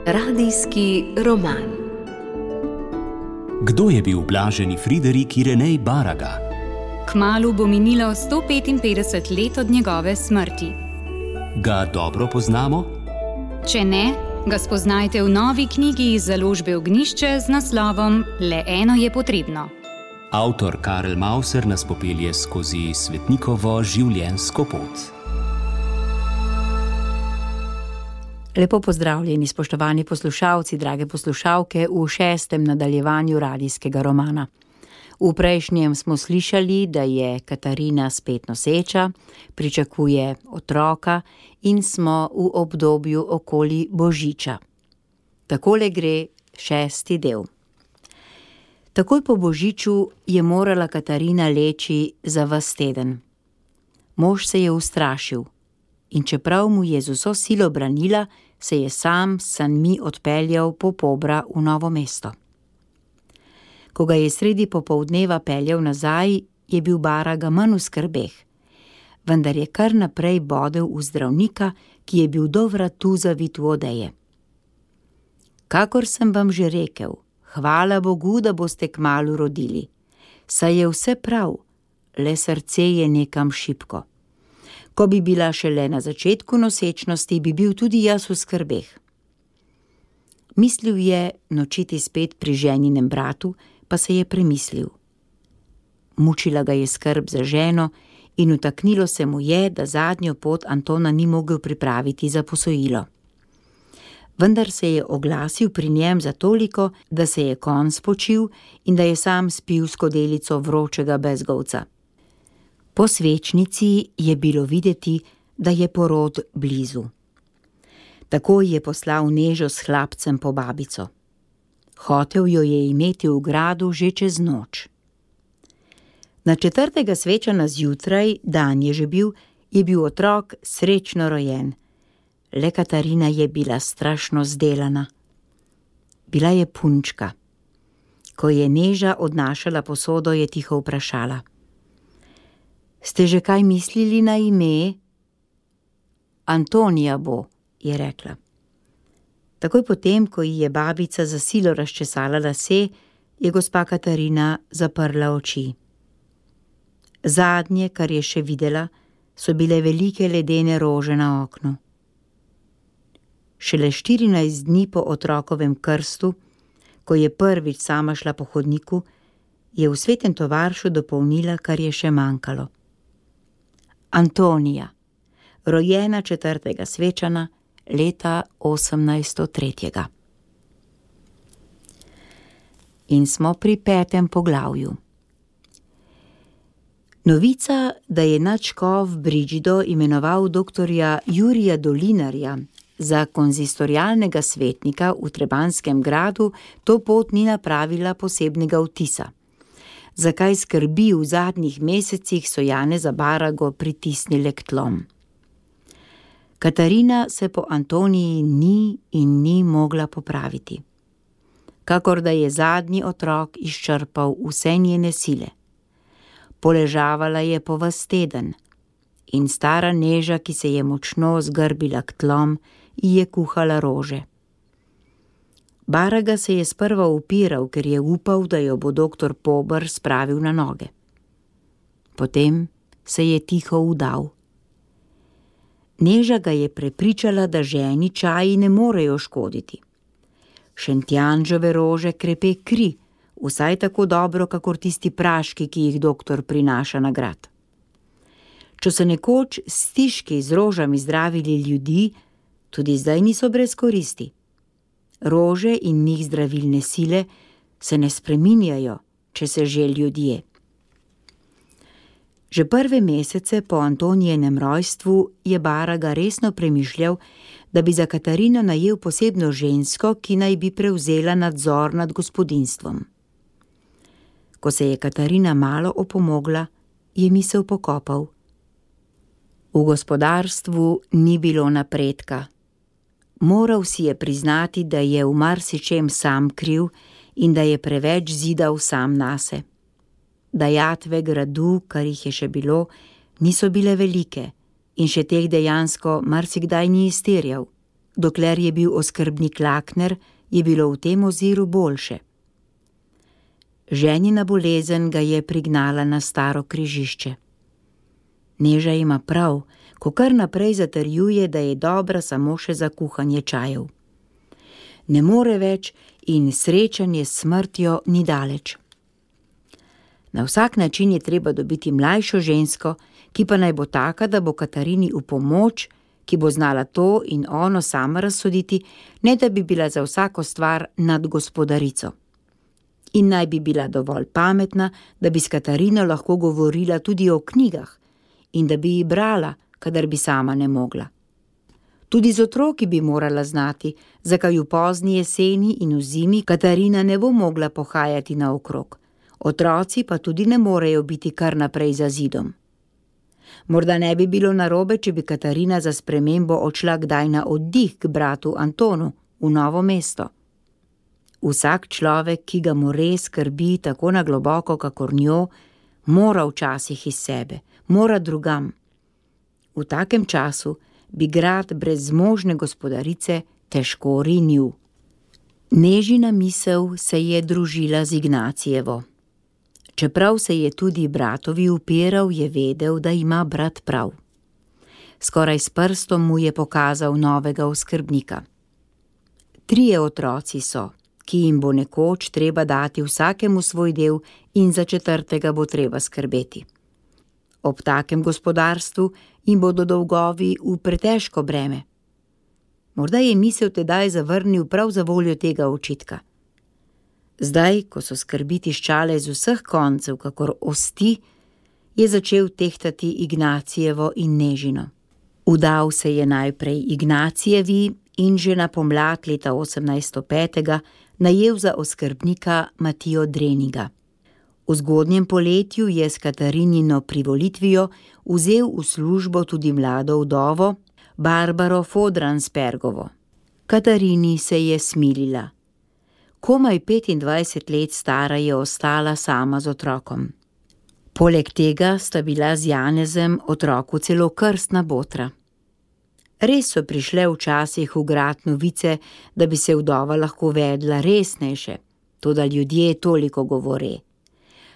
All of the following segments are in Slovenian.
Radijski roman. Kdo je bil blaženi Friderik Irenej Baraga? Kmalu bo minilo 155 let od njegove smrti. Ga dobro poznamo? Če ne, ga spoznajte v novi knjigi iz založbe Ognjišče z naslovom Le eno je potrebno. Avtor Karel Mauser nas popelje skozi svetnikovo življenjsko pot. Lepo pozdravljeni, spoštovani poslušalci, drage poslušalke, v 6. nadaljevanju radijskega romana. V prejšnjem smo slišali, da je Katarina spet noseča, pričakuje otroka in smo v obdobju okoli Božiča. Takole gre 6. del. Takoj po Božiču je morala Katarina leči za ves teden. Mož se je ustrašil in čeprav mu je z vso silo branila, se je sam s sanmi odpeljal po Pobra v Novo mesto. Ko ga je sredi popoldneva peljal nazaj, je bil Baraga manj v skrbeh, vendar je kar naprej bodel v zdravnika, ki je bil do vratu zavit v odeje. Kakor sem vam že rekel, hvala Bogu, da boste kmalu rodili. Saj je vse prav, le srce je nekam šibko. Ko bi bila šele na začetku nosečnosti, bi bil tudi jaz v skrbeh. Mislil je nočiti spet pri ženinem bratu, pa se je premislil. Mučila ga je skrb za ženo in utaknilo se mu je, da zadnjo pot Antona ni mogel pripraviti za posojilo. Vendar se je oglasil pri njem za toliko, da se je konj spočil in da je sam spil skodelico vročega bezgovca. Po svečnici je bilo videti, da je porod blizu. Takoj je poslal Nežo s hlapcem po babico. Hotel jo je imeti v gradu že čez noč. Na 4. svečana zjutraj, dan je že bil, je bil otrok srečno rojen. Le Katarina je bila strašno zdelana. Bila je punčka. Ko je Neža odnašala posodo, je tiho vprašala: Ste že kaj mislili na ime? Antonija bo, je rekla. Takoj potem, ko ji je babica za silo razčesala lase, je gospa Katarina zaprla oči. Zadnje, kar je še videla, so bile velike ledene rože na oknu. Šele 14 dni po otrokovem krstu, ko je prvič sama šla po hodniku, je v Svetem Tovaršu dopolnila, kar je še manjkalo. Antonija, rojena 4. svečana, leta 1803. In smo pri 5. poglavju. Novica, da je nadškof Brigido imenoval doktorja Jurija Dolinarja za konzistorialnega svetnika v Trebanskem gradu, to pot ni napravila posebnega vtisa. Zakaj skrbi v zadnjih mesecih so Janeza Barago pritisnile k tlom. Katarina se po Antoniji ni mogla popraviti. Kakor da je zadnji otrok izčrpal vse njene sile. Poležavala je po ves teden in stara Neža, ki se je močno zgrbila k tlom, ji je kuhala rože. Baraga se je sprva upiral, ker je upal, da jo bo doktor Pober spravil na noge. Potem se je tiho vdal. Neža ga je prepričala, da ženi čaji ne morejo škoditi. Šentjanžove rože krepe kri, vsaj tako dobro, kakor tisti praški, ki jih doktor prinaša na grad. Če so nekoč stiški z rožami zdravili ljudi, tudi zdaj niso brez koristi. Rože in njih zdravilne sile se ne spreminjajo, če se že ljudje. Že prve mesece po Antonijenem rojstvu je Baraga resno premišljal, da bi za Katarino najel posebno žensko, ki naj bi prevzela nadzor nad gospodinjstvom. Ko se je Katarina malo opomogla, je misel pokopal. V gospodarstvu ni bilo napredka. Moral si je priznati, da je v marsičem sam kriv in da je preveč zidal sam nase. Dajatve gradu, kar jih je še bilo, niso bile velike in še teh dejansko marsikdaj ni izterjal. dokler je bil oskrbnik Lakner, je bilo v tem oziru boljše. Ženina bolezen ga je prignala na staro križišče. Neža ima prav, ko kar naprej zatrjuje, da je dobra samo še za kuhanje čajev. Ne more več in srečanje s smrtjo ni daleč. Na vsak način je treba dobiti mlajšo žensko, ki pa naj bo taka, da bo Katarini v pomoč, ki bo znala to in ono sama razsoditi, ne da bi bila za vsako stvar nad gospodarico. In naj bi bila dovolj pametna, da bi s Katarino lahko govorila tudi o knjigah in da bi ji brala, kadar bi sama ne mogla. Tudi z otroki bi morala znati, zakaj v pozni jeseni in v zimi Katarina ne bo mogla pohajati naokrog. Otroci pa tudi ne morejo biti kar naprej za zidom. Morda ne bi bilo narobe, če bi Katarina za spremembo odšla kdaj na oddih k bratu Antonu v Novo mesto. Vsak človek, ki ga more skrbi tako na globoko, kakor njo, mora včasih iz sebe, mora drugam. V takem času bi grad brez zmožne gospodarice težko rinil. Nežina misel se je družila z Ignacijevo. Čeprav se je tudi bratovi upiral, je vedel, da ima brat prav. Skoraj s prstom mu je pokazal novega oskrbnika. 3 otroci so, ki jim bo nekoč treba dati vsakemu svoj del in za 4. bo treba skrbeti. Ob takem gospodarstvu jim bodo dolgovi v pretežko breme. Morda je misel tedaj zavrnil prav za voljo tega očitka. Zdaj, ko so skrbi tiščale z vseh koncev, kakor osti, je začel tehtati Ignacijevo in Nežino. Udal se je najprej Ignacijevi in že na pomlad leta 1805 najel za oskrbnika Matijo Dreniga. V zgodnjem poletju je s Katarinino privolitvijo vzel v službo tudi mlado vdovo Barbaro Fodranspergovo. Katarini se je smilila. Komaj 25 let stara je ostala sama z otrokom. Poleg tega sta bila z Janezem otroku celo krstna botra. Res so prišle včasih v grad novice, da bi se vdova lahko vedla resnejše, toda ljudje toliko govore.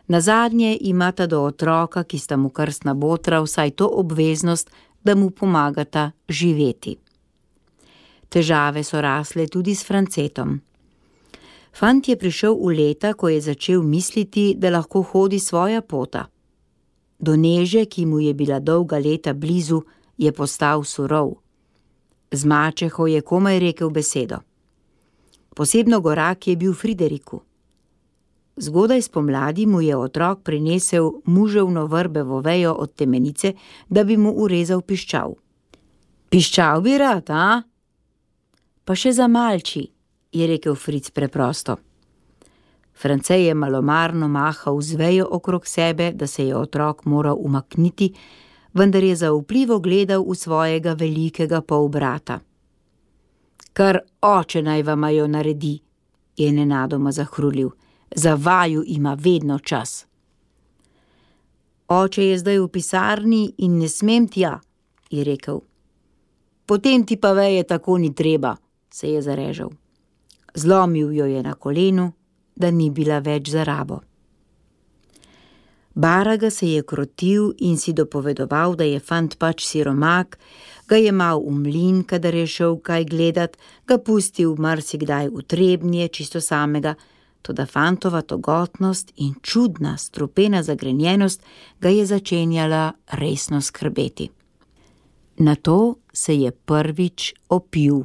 Nazadnje imata do otroka, ki sta mu krstna botra, vsaj to obveznost, da mu pomagata živeti. Težave so rasle tudi s Francetom. Fant je prišel v leta, ko je začel misliti, da lahko hodi svoja pota. Do Neže, ki mu je bila dolga leta blizu, je postal surov. Z mačeho je komaj rekel besedo. Posebno gorak je bil Frideriku. Zgodaj spomladi mu je otrok prinesel muževno vrbevo vejo od temenice, da bi mu urezal piščal. Piščal bi rad, a? Pa še za malči, je rekel Fric preprosto. France je malomarno mahal z vejo okrog sebe, da se je otrok moral umakniti, vendar je zaupljivo gledal v svojega velikega polbrata. Kar oče naj vama jo naredi, je nenadoma zahrulil. Za vaju ima vedno čas. Oče je zdaj v pisarni in ne smem tja, je rekel. Potem ti pa veje tako ni treba, se je zarežal. Zlomil jo je na kolenu, da ni bila več za rabo. Baraga se je krotil in si dopovedoval, da je fant pač siromak, ga je mal v mlin, kadar je šel kaj gledat, ga pustil marsikdaj v Trebnje čisto samega, toda fantova togotnost in čudna, strupena zagrenjenost ga je začenjala resno skrbeti. Nato se je prvič opil.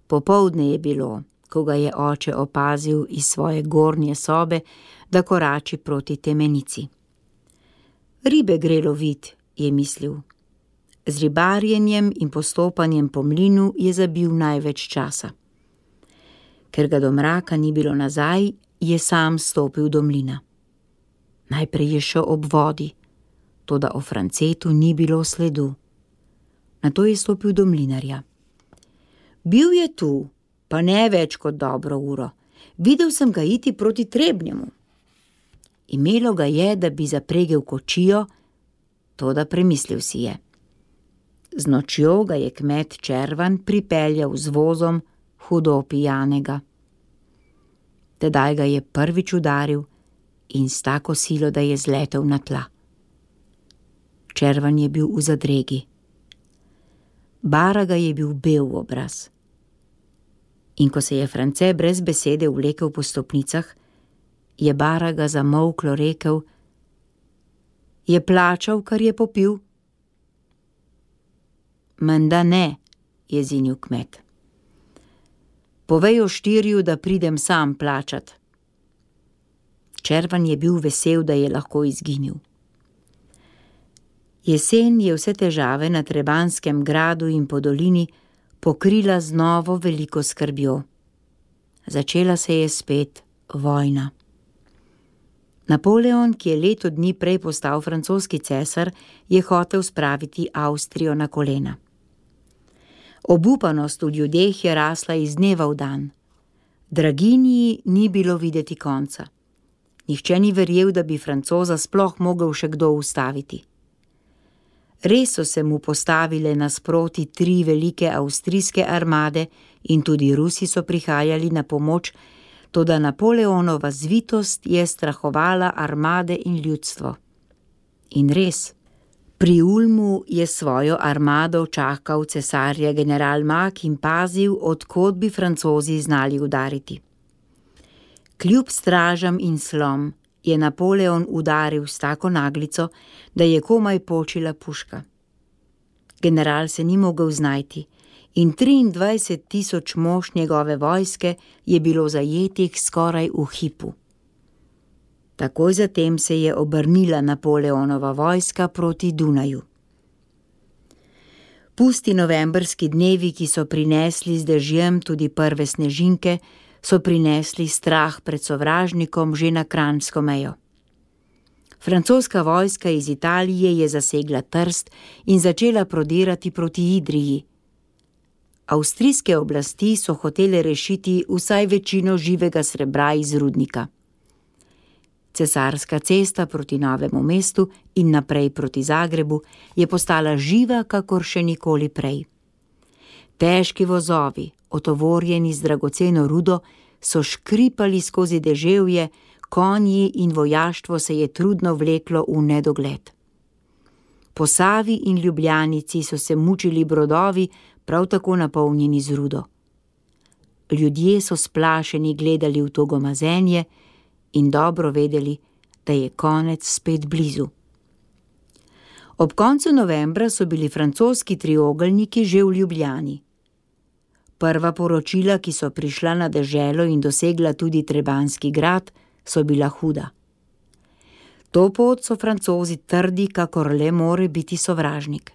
Popoldne je bilo, ko ga je oče opazil iz svoje gornje sobe, da korači proti temenici. Ribe gre lovit, je mislil. Z ribarjenjem in postopanjem po mlinu je zabil največ časa. Ker ga do mraka ni bilo nazaj, je sam stopil do mlina. Najprej je šel ob vodi, toda o Francetu ni bilo sledu. Nato je stopil do mlinarja. Bil je tu, pa ne več kot dobro uro. Videl sem ga iti proti Trebnjemu. Imelo ga je, da bi zapregel kočijo, toda premislil si je. Z nočjo ga je kmet Červan pripeljal z vozom hudo pijanega. Tedaj ga je prvič udaril in s tako silo, da je zletel na tla. Červan je bil v zadregi. Baraga je bil bel v obraz. In ko se je France brez besede vlekel po stopnicah, je Baraga zamolklo rekel: Je plačal, kar je popil? Menda ne, je zinil kmet. Povej oštirju, da pridem sam plačat. Červan je bil vesel, da je lahko izginil. Jesen je vse težave na Trebanskem gradu in po dolini pokrila z novo veliko skrbjo. Začela se je spet vojna. Napoleon, ki je leto dni prej postal francoski cesar, je hotel spraviti Avstrijo na kolena. Obupanost v ljudeh je rasla iz dneva v dan. Draginji ni bilo videti konca. Nihče ni verjel, da bi Francoza sploh mogel še kdo ustaviti. Res so se mu postavile nasproti 3 velike avstrijske armade in tudi Rusi so prihajali na pomoč, toda Napoleonova zvitost je strahovala armade in ljudstvo. In res, pri Ulmu je svojo armado čakal cesarja general Mack in pazil, od kod bi Francozi znali udariti. Kljub stražam in slom je Napoleon udaril s tako naglico, da je komaj počila puška. General se ni mogel znajti in 23.000 mož njegove vojske je bilo zajetih skoraj v hipu. Takoj zatem se je obrnila Napoleonova vojska proti Dunaju. Pusti novembrski dnevi, ki so prinesli z dežjem tudi prve snežinke, so prinesli strah pred sovražnikom že na kranjsko mejo. Francoska vojska iz Italije je zasegla Trst in začela prodirati proti Idriji. Avstrijske oblasti so hotele rešiti vsaj večino živega srebra iz rudnika. Cesarska cesta proti Novemu mestu in naprej proti Zagrebu je postala živa, kakor še nikoli prej. Težki vozovi, otovorjeni z dragoceno rudo, so škripali skozi deževje, konji in vojaštvo se je trudno vleklo v nedogled. Po Savi in Ljubljanici so se mučili brodovi, prav tako napolnjeni z rudo. Ljudje so splašeni gledali v to gomazenje in dobro vedeli, da je konec spet blizu. Ob koncu novembra so bili francoski triogelniki že v Ljubljani. Prva poročila, ki so prišla na deželo in dosegla tudi Trebanski grad, so bila huda. To pot so Francozi trdi, kakor le more biti sovražnik.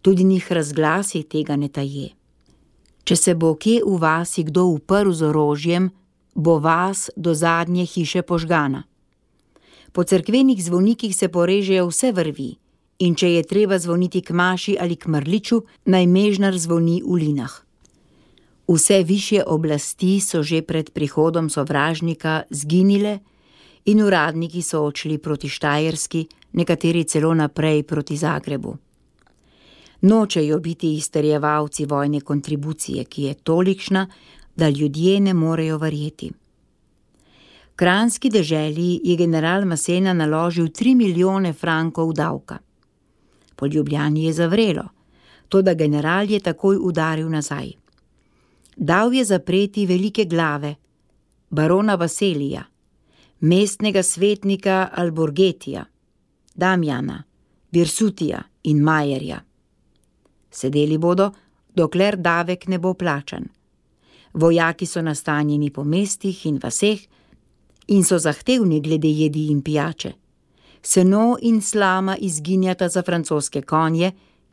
Tudi njih razglasi tega ne taje. Če se bo kje v vasi kdo uprl z orožjem, bo vas do zadnje hiše požgana. Po cerkvenih zvonikih se porežejo vse vrvi in če je treba zvoniti k maši ali k mrliču, naj mežnar zvoni v linah. Vse višje oblasti so že pred prihodom sovražnika zginile in uradniki so odšli proti Štajerski, nekateri celo naprej proti Zagrebu. Nočejo biti izterjevalci vojne kontribucije, ki je tolikšna, da ljudje ne morejo verjeti. Kranjski deželi je general Masena naložil 3 milijone frankov davka. Po Ljubljani je zavrelo, toda general je takoj udaril nazaj. Dal je zapreti velike glave, barona Vaselija, mestnega svetnika Alborgetija, Damjana, Birsutija in Majerja. Sedeli bodo, dokler davek ne bo plačan. Vojaki so nastanjeni po mestih in vaseh in so zahtevni glede jedi in pijače. Seno in slama izginjata za francoske konje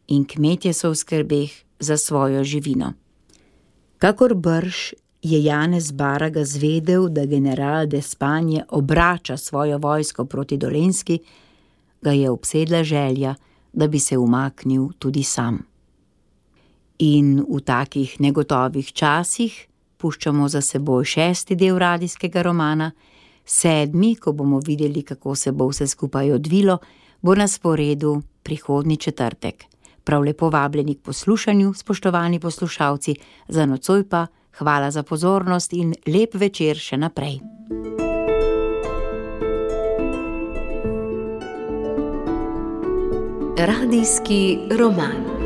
in kmetje so v skrbeh za svojo živino. Kakor brž je Janez Baraga zvedel, da general d'Espagne obrača svojo vojsko proti Dolenjski, ga je obsedla želja, da bi se umaknil tudi sam. In v takih negotovih časih puščamo za seboj 6. del radijskega romana, 7., ko bomo videli, kako se bo vse skupaj odvilo, bo na sporedu prihodnji četrtek. Prav lepo vabljeni k poslušanju, spoštovani poslušalci, za nocoj pa hvala za pozornost in lep večer še naprej. Radijski roman.